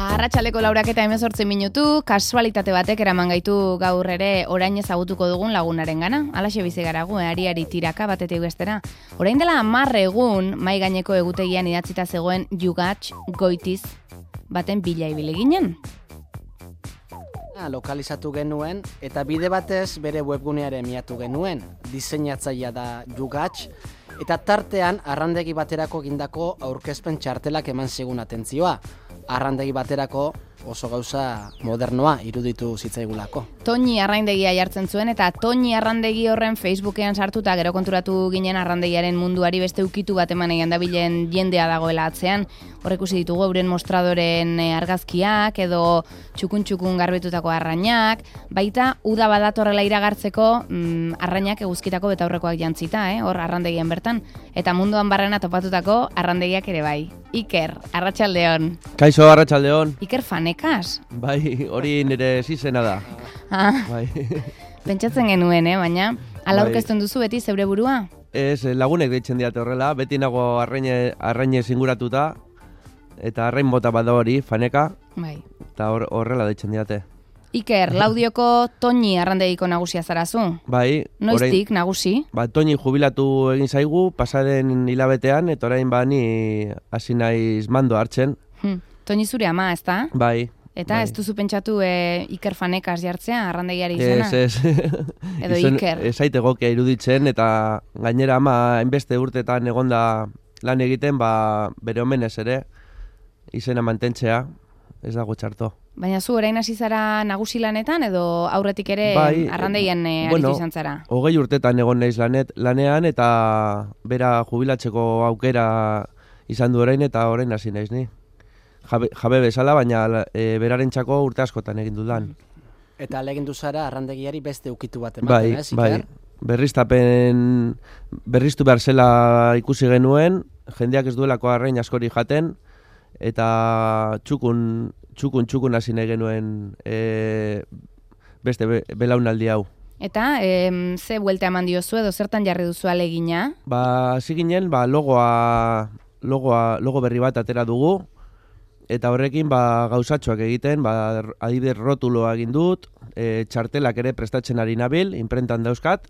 Arratsaldeko 8:18 kasualitate batek eraman gaitu gaur ere orain ezagutuko dugun lagunarengana. Halaxe bizi gara gu, ariari tiraka batetik bestera. Orain dela 10 egun mai gaineko egutegian idatzita zegoen Jugatx Goitiz baten bila ibili ginen. Lokalizatu genuen eta bide batez bere webgunearen miatu genuen. Diseinatzailea da Jugatx eta tartean arrandegi baterako egindako aurkezpen txartelak eman zigun atentzioa. Arrandegi baterako oso gauza modernoa iruditu zitzaigulako. Toñi arraindegia jartzen zuen eta Toñi arrandegi horren Facebookean sartuta gero konturatu ginen arrandegiaren munduari beste ukitu bat eman egin dabilen jendea dagoela atzean. Hor ikusi ditugu euren mostradoren argazkiak edo txukun garbitutako arrainak, baita uda badatorrela iragartzeko arrainak eguzkitako betaurrekoak jantzita, hor arrandegian bertan, eta munduan barrena topatutako arrandegiak ere bai. Iker, arratsaldeon. Kaixo, arratsaldeon. Iker fanekas. Bai, hori nire zizena da. Bai. Pentsatzen genuen, baina ala aurkezten duzu beti zeure burua? Ez, lagunek deitzen diate horrela, beti nago arrainez inguratuta, eta arrain bota bada hori, faneka, bai. Eta horrela deitzen diate. Iker, Laudioko Toñi arrandegiko nagusia zarazu? Bai. Noiztik nagusi? Toñi jubilatu egin zaigu, pasaren hilabetean, eta orain bani hasi naiz mando hartzen. Toñi zure ama, ez da? Bai. Eta bai. ez duzu pentsatu Iker fanekas jartzea, arrandegiari izena? Ez. Edo Iker. Ez aite gokia iruditzen, eta gainera ama hainbeste urtetan egonda lan egiten, bere omenez ere, izena mantentzea, ez dago txarto. Baina zu orain hasi zara nagusi lanetan edo aurretik ere arrandegien aritu izan zara? 20 urtetan egon naiz lanean eta bera jubilatzeko aukera izan du orain eta orain hasi naiz ni. Jabe bezala, baina berarentzako urte askotan egin dudan. Eta alegindu zara arrandegiari beste ukitu bat ematen, ez, Iker? Berriztu behar zela ikusi genuen, jendeak ez duelako arrain askori jaten, eta txukun hasi nahi genuen beste belaunaldi hau. Eta ze buelta eman diozu edo zertan jarri duzu alegina? Hasi ginen, logo berri bat atera dugu, eta horrekin gauzatxoak egiten, adibidez rotuloa egin dut, txartelak ere prestatzen ari nabil, inprentan dauzkat,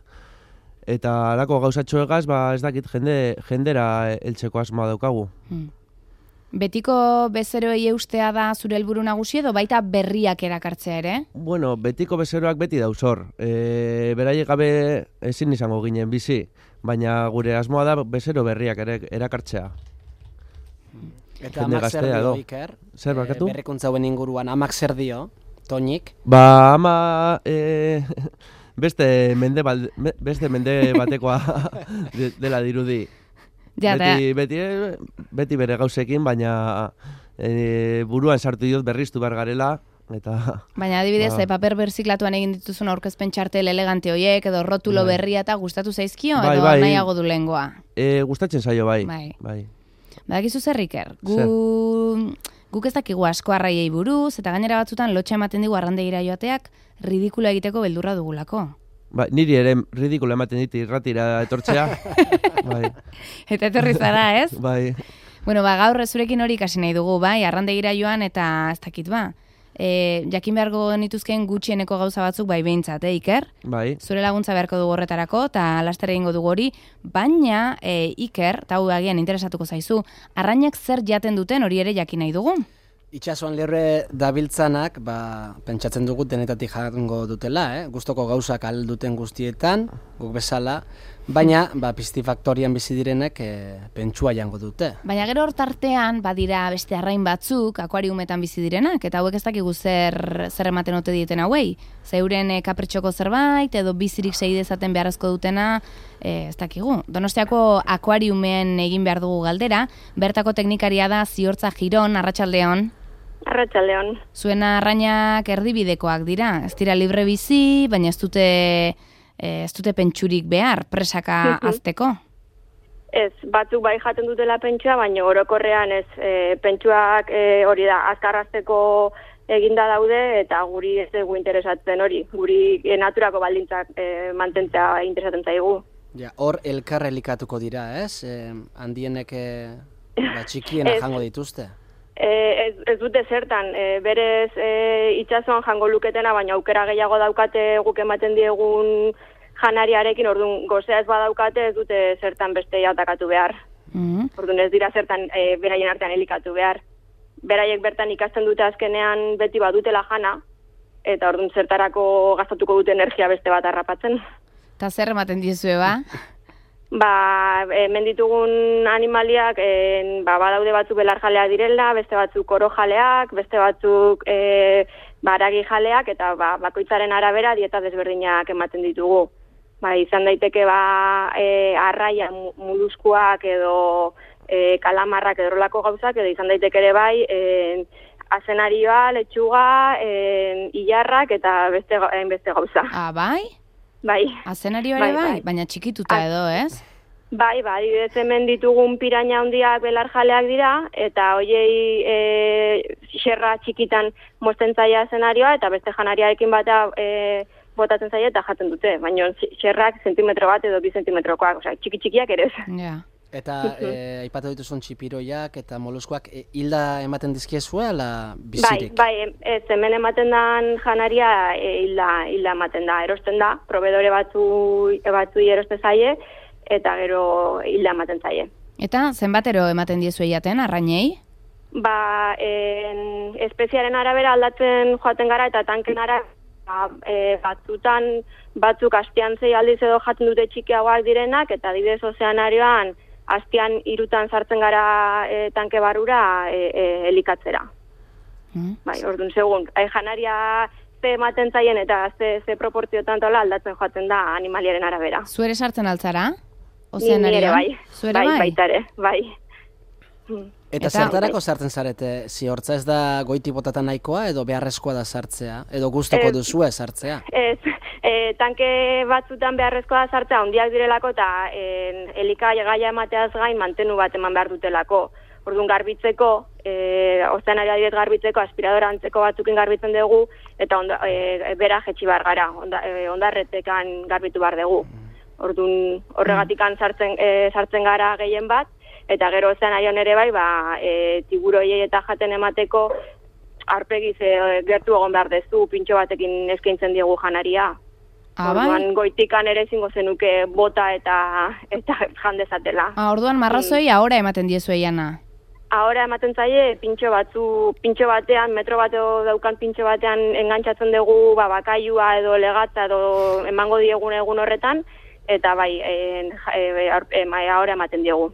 eta alako gauzatxoegaz, ez dakit jendera heltzeko asmoa daukagu. Betiko bezeroei eustea da zure helburu nagusi edo baita berriak erakartzea ere? Bueno, betiko bezeroak beti dauzor. Beraiek gabe ezin izango ginen bizi, baina gure asmoa da bezero berriak erakartzea. Eta amak zer dio, Iker? Zer bakatu? Berrikuntza hauen inguruan, amak zer dio, Toñik? Ama beste mende batekoa dela dirudi. Beti bere gauzekin, baina buruan sartu diot berriztu behar garela. Baina adibidez, paper berziklatuan egin dituzun aurkezpen txartel elegante horiek, edo rotulo berria eta gustatu zaizkio, edo nahiago du lehengoa? Gustatzen zaio, bai. Badakizu zer, Iker? Guk ez dakigu asko arraiei buruz, eta gainera batzutan lotxa ematen digu arrandegira joateak ridikulo egiteko beldurra dugulako. Niri ere ridikulo ematen dit irratira etortzea. Eta etorri zara, ez? Bai. Bueno, gaur zurekin hori ikasi nahi dugu, bai, arrandegira joan eta ez dakit, jakin beharko nituzken gutxieneko gauza batzuk bai behintzat, Iker? Bai. Zure laguntza beharko dugu horretarako, eta laster egingo dugu hori, baina, Iker, eta hau agian interesatuko zaizu, arrainak zer jaten duten hori ere jakin nahi dugu? Itxasuan lehorre dabiltzanak, pentsatzen dugu denetatik jango dutela, gustoko gauzak alduten guztietan, guk bezala, baina pistifaktorian bizi direnek pentsua jango dute. Baina gero hortartean badira beste arrain batzuk akuariumetan bizi direnak, eta hauek ez dakigu zer ematen ote dieten hauei. Zeuren kapritxoko zerbait, edo bizirik segi dezaten beharrezko dutena, ez dakigu. Donostiako akuariumean egin behar dugu galdera, bertako teknikaria da Ziortza Giron, arratsaldeon. Arratsaldeon. Zuen arrainak erdibidekoak dira, ez dira libre bizi, baina ez dute pentsurik behar, presaka azteko? Ez, batzuk bai jaten dutela pentsua, baina orokorrean ez pentsuak hori da, azkarrazteko eginda daude, eta guri ez dugu interesatzen hori, guri naturako baldintzak mantentzea interesatzen zaigu. Hor elkar elikatuko dira, ez? Handienek txikien jango dituzte? Ez dute zertan, berez itsasoan jango luketena, baina aukera gehiago daukate guk ematen diegun janariarekin, orduan gozea ez badaukate ez dute zertan beste atakatu behar. Orduan ez dira zertan beraien artean elikatu behar. Beraiek bertan ikasten dute azkenean beti badutela jana, eta orduan zertarako gastatuko dute energia beste bat harrapatzen. Eta zer ematen diezue, ba? Hemen ditugun animaliak, badaude batzuk belarjaleak direla, beste batzuk orojaleak, beste batzuk haragi jaleak, eta bakoitzaren arabera dieta desberdinak ematen ditugu. Izan daiteke arraia moluskuak edo kalamarrak edo horrelako gauzak, edo izan daiteke ere bai azenarioa, letxuga, ilarrak eta beste gauza. Bai? Bai. Azenario ere bai? Baina txikituta edo, ez? Bai, hemen ditugun piraña handiak belarjaleak dira, eta hoiei xerra txikitan mozten zaia azenarioa, eta beste janariarekin bata botatzen zaia eta jaten dute. Baina xerrak zentimetro bat edo 2 zentimetrokoak, txiki-txikiak ere ez. Ja. Eta aipatu dituzun txipiroiak eta moluskuak hilda ematen dizkiezue ala bizirik? Bai, ez hemen ematen dan janaria hilda ematen da, erosten da, probedore batzui eroste zaie, eta gero hilda ematen zaie. Eta zenbatero ematen diezue jaten, arrainei? Espeziaren arabera aldatzen joaten gara eta tanken arabera, batzuk astean 6 aldiz edo jaten dute txikiagoak direnak, eta adibidez ozeanarioan astean 3 sartzen gara tanke barrura elikatzera. Orduan, segun, janaria ze ematen zaien eta ze proportziotan tola aldatzen joaten da animaliaren arabera. Zuere sartzen altzara? Ozeanarioan? Bai. Zuere bai? Baitare, bai. Eta zertarako sartzen zarete? Ziortza ez da goiti botatan nahikoa edo beharrezkoa da sartzea? Edo gustoko duzue sartzea? Ez, tanke batzutan beharrezkoa da sartzea, handiak direlako eta elikagaia emateaz gain mantenu bat eman behar dutelako. Orduan garbitzeko, ozeanaria adibidez garbitzeko, aspiradora antzeko batzukin garbitzen dugu, eta bera jetxi bar gara, ondarretekan garbitu bar dugu. Orduan horregatikan sartzen gara gehien bat, eta gero ozeanarian ere bai, tiburoiei eta jaten emateko aurpegiz gertu egon behar dezu, pintxo batekin eskaintzen diegu janaria. Orduan goitikan ere ezingo zenuke bota eta jan dezatela. Orduan marrazoi ahora ematen diezue jana? Ahora ematen zaie pintxo batean, metro bat daukan pintxo batean engantzatzen dugu bakailua edo legatza edo emango diegun egun horretan, eta ahora ematen diegu.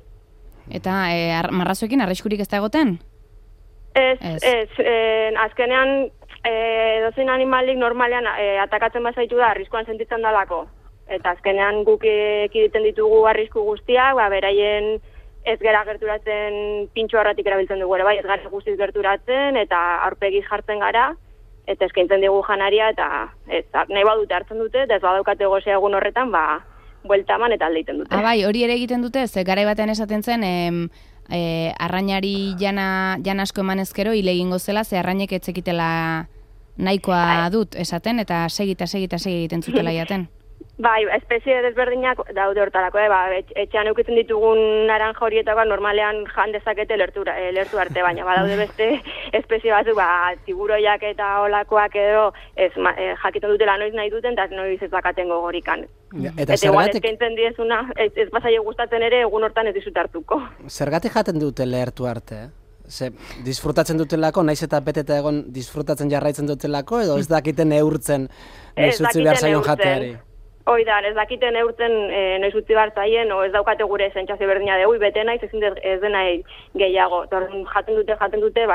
Eta marrazoekin arriskurik ez da egoten? Ez. Azkenean, edozein animalik normalean atakatzen bazaitu da arriskuan sentitzen dalako. Eta azkenean guk ekiditen ditugu arrisku guztiak, beraien ez gera gerturatzen pintxo horretik erabiltzen dugu ere bai, ez gara guztiz gerturatzen eta aurpegiz jartzen gara, eta eskaintzen dugu janaria, eta nahi badute hartzen dute, eta ez badaukate gozea egun horretan, buelta eman eta aldeiten dute. Bai, hori ere egiten dute, ze garai batean esaten zen, arrainari jana asko eman ezkero, hile egingo zela, ze arrainek etzekitela nahikoa dut esaten, eta segita egiten zutela jaten. Bai, espezie desberdinak daude hortarako, etxean eukitzen ditugun naranja horietako normalean jan dezakete lertu arte, baina badaude beste espezie batzuk, tiburoiak eta olakoak edo jakiten dutela noiz nahi duten, eta noiz ez bakaten gogorikan. Eta igual eskaintzen diezuna, ez bazaio gustatzen ere, egun hortan ez dizut hartuko. Zergatik jaten dute lertu arte? Disfrutatzen dutelako, naiz eta beteta egon disfrutatzen jarraitzen dutelako, edo ez dakiten neurtzen noiz utzi behar zaion jateari? Oida, ez dakiten eurtzen noiz utzi behar zaien, o ez daukate gure sentsazio berdina dugu, bete naiz ezin ez dena gehiago. Jaten dute,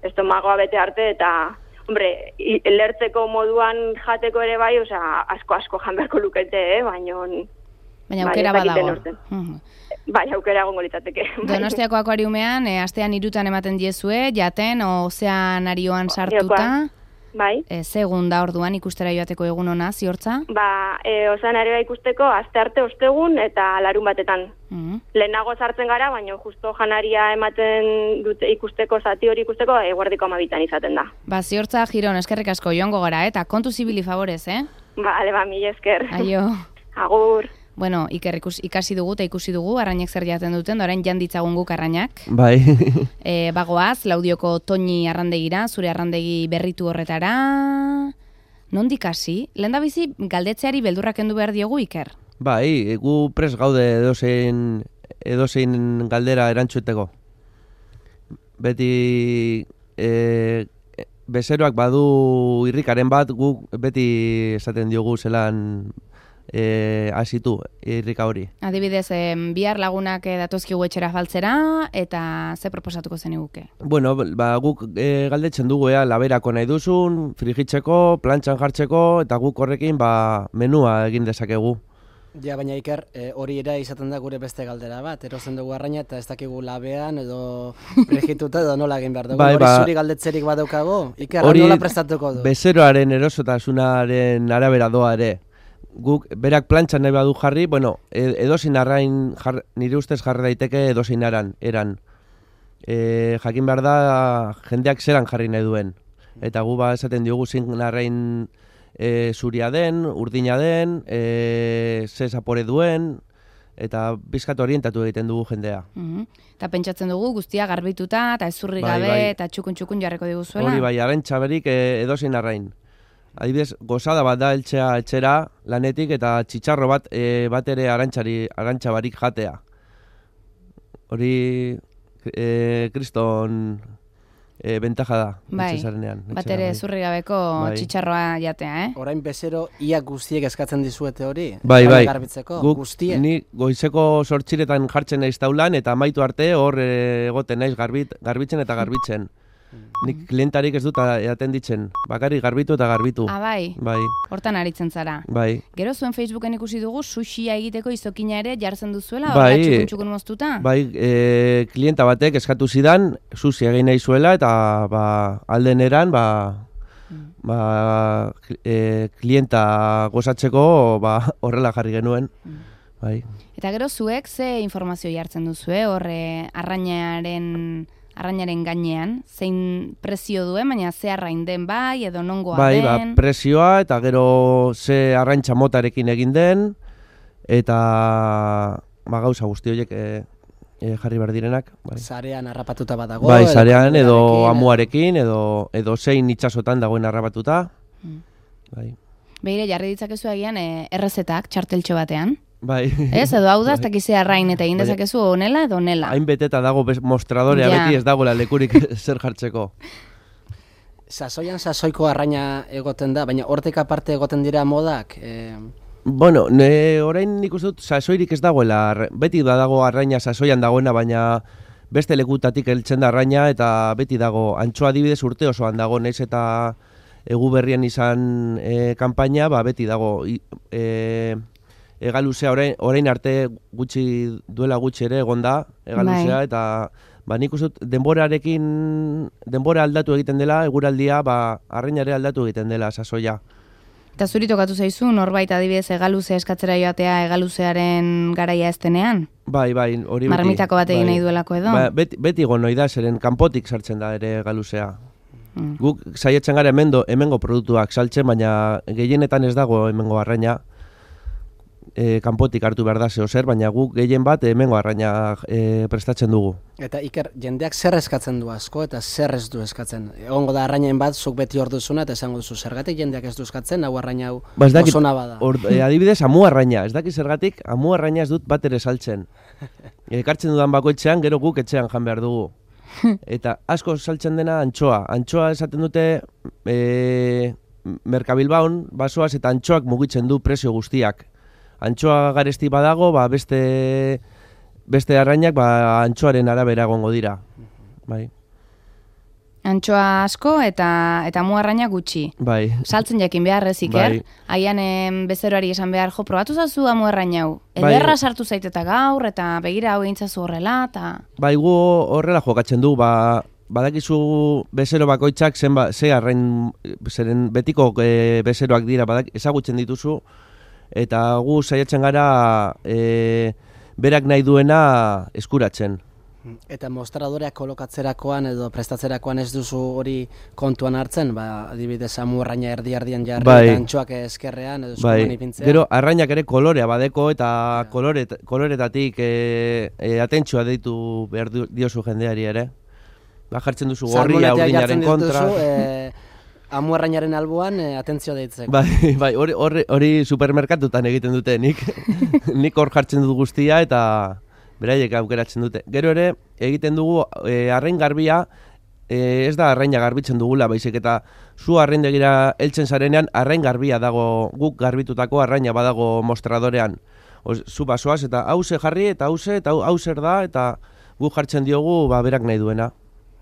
estomagoa bete arte, eta, hombre, lertzeko moduan jateko ere bai, asko jan beharko lukete, baina aukera badago. Bai, aukera egongo litzateke. Donostiako akuariumean, astean 3 ematen diezue, jaten, ozeanarioan sartuta. Bai. Segun da orduan ikustera joateko egun ona, Ziortza? Ozeanarioa ikusteko, astearte ostegun eta larun batetan. Lehenago sartzen gara, baina justo janaria ematen dute ikusteko, zati hori ikusteko, eguerdiko 12 izaten da. Ziortza, Giron, eskerrik asko joango gara, eta kontu zibili favorez, Bale, mila esker. Aio. Agur. Bueno, Iker ikasi dugu eta ikusi dugu arrainek zer jaten duten, orain jan ditzagun guk arrainak. Bai. Bagoaz, Laudioko Toñi arrandegira, zure arrandegi berritu horretara. Nondik hasi? Lehendabizi galdetzeari beldurrak kendu behar diogu, Iker? Bai, gu pres gaude edozein galdera erantzuteko. Beti bezeroak badu irrikaren bat, guk beti esaten diogu zelan hasitu irrika hori. Adibidez, bihar lagunak datozkigu etxera faltzera, eta ze proposatuko zeniguke? Bueno, guk galdetzen dugu laberako nahi duzun, frigitzeko, plantxan jartzeko, eta guk horrekin menua egin dezakegu. Ja, baina Iker, hori ere izaten da gure beste galdera bat, erosten dugu arraina eta ez dakigu labean edo frigituta edo nola egin behar dugu. Hori zuri galdetzerik badaukago, Iker, nola prestatuko du? Bezeroaren erosotasunaren arabera doa ere. Guk berak plantxan nahi badu jarri, bueno, edozein arrain nire ustez jarri daiteke edozein eran. Jakin behar da jendeak zelan jarri nahi duen. Eta gu esaten diogu zein arrain zuria den, urdina den, ze zapore duen, eta bizkat orientatu egiten dugu jendea. Eta pentsatzen dugu guztia garbituta, eta ezurri gabe, eta txukun jarreko diguzuela. Hori bai, arraintza berik edozein arrain. Adibidez, gozada bat da eltzea etxera lanetik eta txitxarro bat ere arantxa barik jatea. Hori kriston bentaja da. Bai, bat ere zurri gabeko txitxarroa jatea, Orain bezero ia guztiek eskatzen dizuete hori? Bai. Guk guztiek? Ni goizeko 8 jartzen naiz taulan eta amaitu arte hor egoten naiz garbitzen eta garbitzen. Nik klientarik ez dut eaten ditzen, bakarrik garbitu eta garbitu. Bai? Bai. Hortan aritzen zara. Bai. Gero zuen Facebooken ikusi dugu sushia egiteko izokina ere jartzen duzuela, bai, txukun moztuta? Bai, klienta batek eskatu zidan, sushi egin nahi zuela eta alden eran, klienta gozatzeko horrela jarri genuen. Bai. Eta gero zuek ze informazio jartzen duzue, horre arrainaren gainean, zein prezio duen, baina ze arrain den bai, edo nongoa den? Bai, prezioa, eta gero ze arraintza motarekin egin den, eta gauza guzti horiek jarri behar direnak. Bai. Sarean harrapatuta badago? Bai, sarean, edo amuarekin, edo zein itxasotan dagoen harrapatuta. Bai. Beire, jarri ditzakezu egian errezetak, txarteltxo batean? Bai. Ez, edo hau da, ez dakize arrain eta egin dezakezu onela edo onela. Hain beteta dago mostradorea beti ez dagoela lekurik zer jartzeko. Sasoian sasoiko arraina egoten da, baina hortik aparte egoten dira modak? Bueno, orain nik uste dut sasoirik ez dagoela, beti dago arraina sasoian dagoena, baina beste lekutatik heltzen da arraina eta beti dago, antxoa adibidez urte osoan dago, naiz eta egu berrian izan kanpaina, beti dago egaluzea orain arte duela gutxi ere egon da egaluzea, eta nik uste dut denbora aldatu egiten dela, eguraldia arrainare aldatu egiten dela sasoia. Eta zuri tokatu zaizu, norbait adibidez egaluzea eskatzera joatea egaluzearen garaia ez denean? Bai, hori beti. Marmitako bat egin nahi duelako edo? Beti gonoi da, zeren kanpotik sartzen da ere egaluzea. Guk saietzen gara hemengo produktuak saltzen, baina gehienetan ez dago hemengo arraina. Kanpotik hartu behar da zer, baina guk gehien bat hemengo arraina prestatzen dugu. Eta Iker, jendeak zer eskatzen du asko eta zer ez du eskatzen? Egongo da arrainen bat, zuk beti hor duzuna eta esango duzu, zergatik jendeak ez du eskatzen, hau arraina hau oso naba da. Adibidez, amu arraina, ez dakit zergatik, amu arraina ez dut bat ere saltzen. Ekartzen dudan bakoitzean, gero guk etxean jan behar dugu. Eta asko saltzen dena antxoa. Antxoa esaten dute Merkabilbaun, basoaz eta antxoak mugitzen du prezio guztiak. Antxoa garesti badago, beste arrainak antxoaren arabera egongo dira. Bai. Antxoa asko eta mu arraina gutxi. Bai. Saltzen jakin behar ez, Iker. Haian bezeroari esan behar, probatu zazu amu arraina hau. Ederra sartu zaiteta gaur eta begira hau egintzazu horrela. Bai, gu horrela jokatzen du, badakizu bezero bakoitzak ze arrain, zeren betiko bezeroak dira, ezagutzen dituzu, eta gu saiatzen gara berak nahi duena eskuratzen. Eta mostradoreak kolokatzerakoan edo prestatzerakoan ez duzu hori kontuan hartzen, adibidez amu arraina erdi-erdian jarri, eta antxoak eskerrean edo eskuman ipintzea. Gero arrainak ere kolorea badeko eta koloretatik atentzua deitu behar diozu jendeari ere. Jartzen duzu gorria urdinaren kontra. Amu arrainaren alboan atentzioa deitzeko. Bai, hori supermerkatutan egiten dute nik hor jartzen dut guztia eta beraiek aukeratzen dute. Gero ere, egiten dugu arrain garbia, ez da arraina garbitzen dugula, baizik eta zu arraindegira heltzen zarenean, arrain garbia dago, guk garbitutako arraina badago mostradorean. Zu basoaz eta hause jarri eta hau zer da, eta guk jartzen diogu berak nahi duena.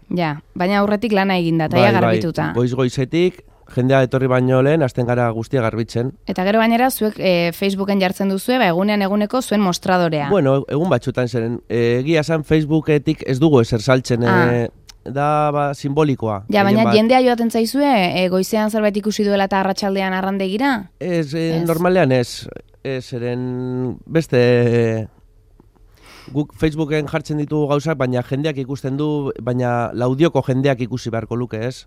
Ja, baina aurretik lana eginda, eta garbituta. Goiz-goizetik, jendea etorri baino lehen, hasten gara guztia garbitzen. Eta gero bainera, zuek Facebooken jartzen duzue, eguneko zuen mostradorea. Bueno, egun batzutan zeren, egia esan Facebooketik ez dugu ezer saltzen, da simbolikoa. Ja, baina jendea joaten zaizue, goizean zerbait ikusi duela eta arratsaldean arrandegira? Ez, normalean ez, zeren beste... Guk Facebooken jartzen ditugu gauzak, baina jendeak ikusten du, baina laudioko jendeak ikusi beharko luke, ez?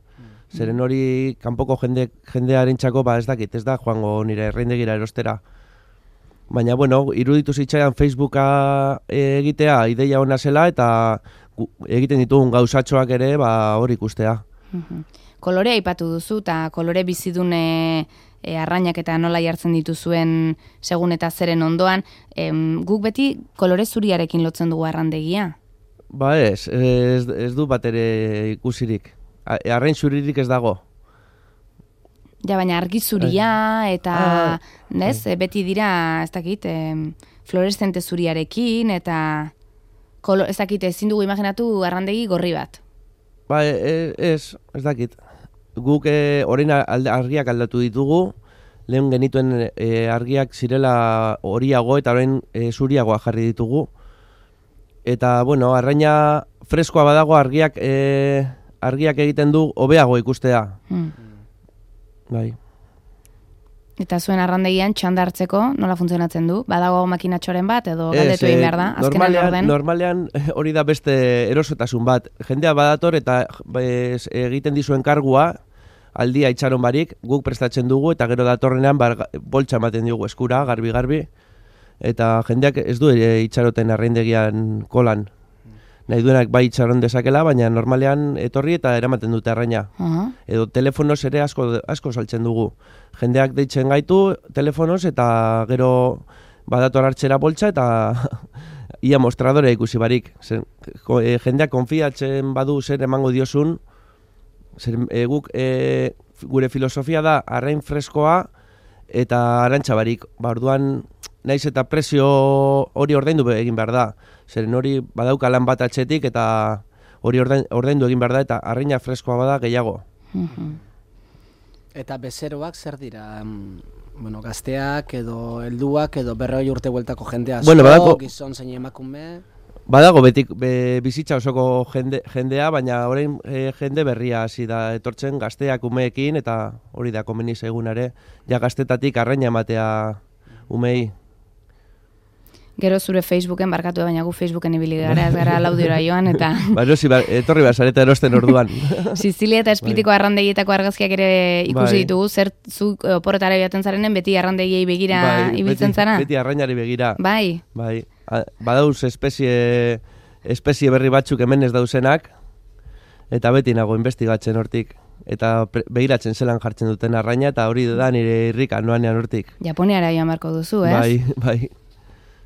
Zeren hori kanpoko jendearentzako ez dakit, ez da joango nire erreindegira erostera. Baina, bueno, iruditu zitzaidan Facebooka egitea ideia ona zela eta egiten ditugun gauzatxoak ere hor ikustea. Kolorea aipatu duzu eta kolore bizidune arrainak eta nola jartzen dituzuen segun eta zeren ondoan, guk beti kolore zuriarekin lotzen dugu arrandegia? Ez du bat ere ikusirik. Arrain zuririk ez dago. Ja, baina argi zuria eta beti dira, ez dakit, fluoreszente zuriarekin eta ez dakit, ezin dugu imaginatu arrandegi gorri bat. Ez dakit. Guk orain argiak aldatu ditugu, lehen genituen argiak zirela horiago eta orain zuriagoa jarri ditugu. Eta, bueno, arraina freskoa badago argiak egiten du hobeago ikustea. Bai. Eta zuen arrandegian txanda hartzeko nola funtzionatzen du? Badago makinatxoren bat edo galdetu egin behar da? Normalean hori da beste erosotasun bat. Jendea badator eta egiten dizuen kargua, aldia itxaron barik, guk prestatzen dugu eta gero datorrenean boltsa ematen diogu eskura, garbi, eta jendeak ez du itxaroten arraindegian kolan. Nahi duenak bai itxaron dezakela, baina normalean etorri eta eramaten dute arraina. Edo telefonoz ere asko saltzen dugu. Jendeak deitzen gaitu telefonoz eta gero badator hartzera boltsa eta ia mostradorea ikusi barik. Jendeak konfiatzen badu zer emango diozun, guk gure filosofia da arrain freskoa eta arantxa barik. Orduan naiz eta prezio hori ordaindu egin behar da. Zeren hori badauka lan bat atxetik eta hori ordaindu egin behar da eta arraina freskoa bada gehiago. Eta bezeroak zer dira? Gazteak edo helduak edo 40 urte bueltako jendea asko, gizon zein emakume? Badago bizitza osoko jendea, baina orain jende berria hasi da etortzen gazteak umeekin eta hori da komeni egunare, ja gaztetatik arraina ematea umei. Gero zure Facebooken barkatu, baina gu Facebooken ibili gara, ez gara laudiora joan, eta... Etorri behar zareta erosten orduan. Sizilia eta Esplitiko arrandegietako argazkiak ere ikusi ditugu, zer zu oporretara joaten zarenen, beti arrandegiei begira ibiltzen zara? Beti arrainari begira. Bai. Badauz espezie berri batzuk hemen ez dauzenak, eta beti nago investigatzen hortik. Eta begiratzen zelan jartzen duten arraina, eta hori da nire irrika noanean hortik. Japoniara joan marko duzu, ez? Bai.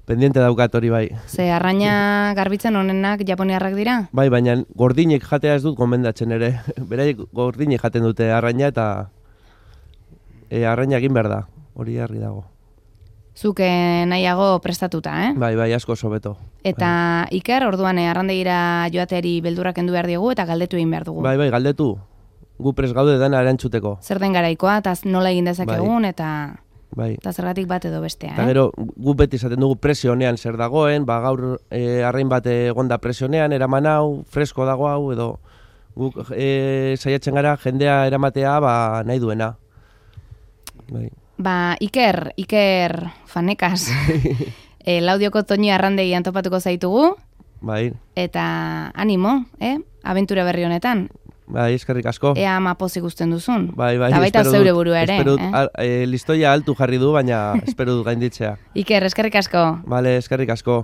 Pendiente daukat hori bai. Ze arraina garbitzen honenak japoniarrak dira? Bai, baina gordinek jatea ez dut gomendatzen ere. Beraiek gordinek jaten dute arraina eta arraina egin behar da. Hori argi dago. Zuke nahiago prestatuta, eh? Bai, asko sobeto. Eta Iker, orduan arrandegira joateari beldurrak kendu behar diegu eta galdetu egin behar dugu. Bai, galdetu. Gu prest gaude dena erantzuteko. Zer den garaikoa, eta nola egin dezakegun, eta... Bai. Eta zergatik bat edo bestea, Eta gero, gu beti izaten dugu presionean zer dagoen, gaur arrain bat egonda presionean, eraman hau, fresko dago hau, edo guk saiatzen gara jendea eramatea nahi duena. Bai. Iker, fanekas, Laudioko Toñi arrandegian topatuko zaitugu, Bai. Eta animo, abentura berri honetan. Bai, eskerrik asko. Ea ama pozik usten duzun. Bai, Eta baita zeure burua ere. Espero dut, listoia altu jarri du, baina espero dut gainditzea. Iker, eskerrik asko. Bale, eskerrik asko.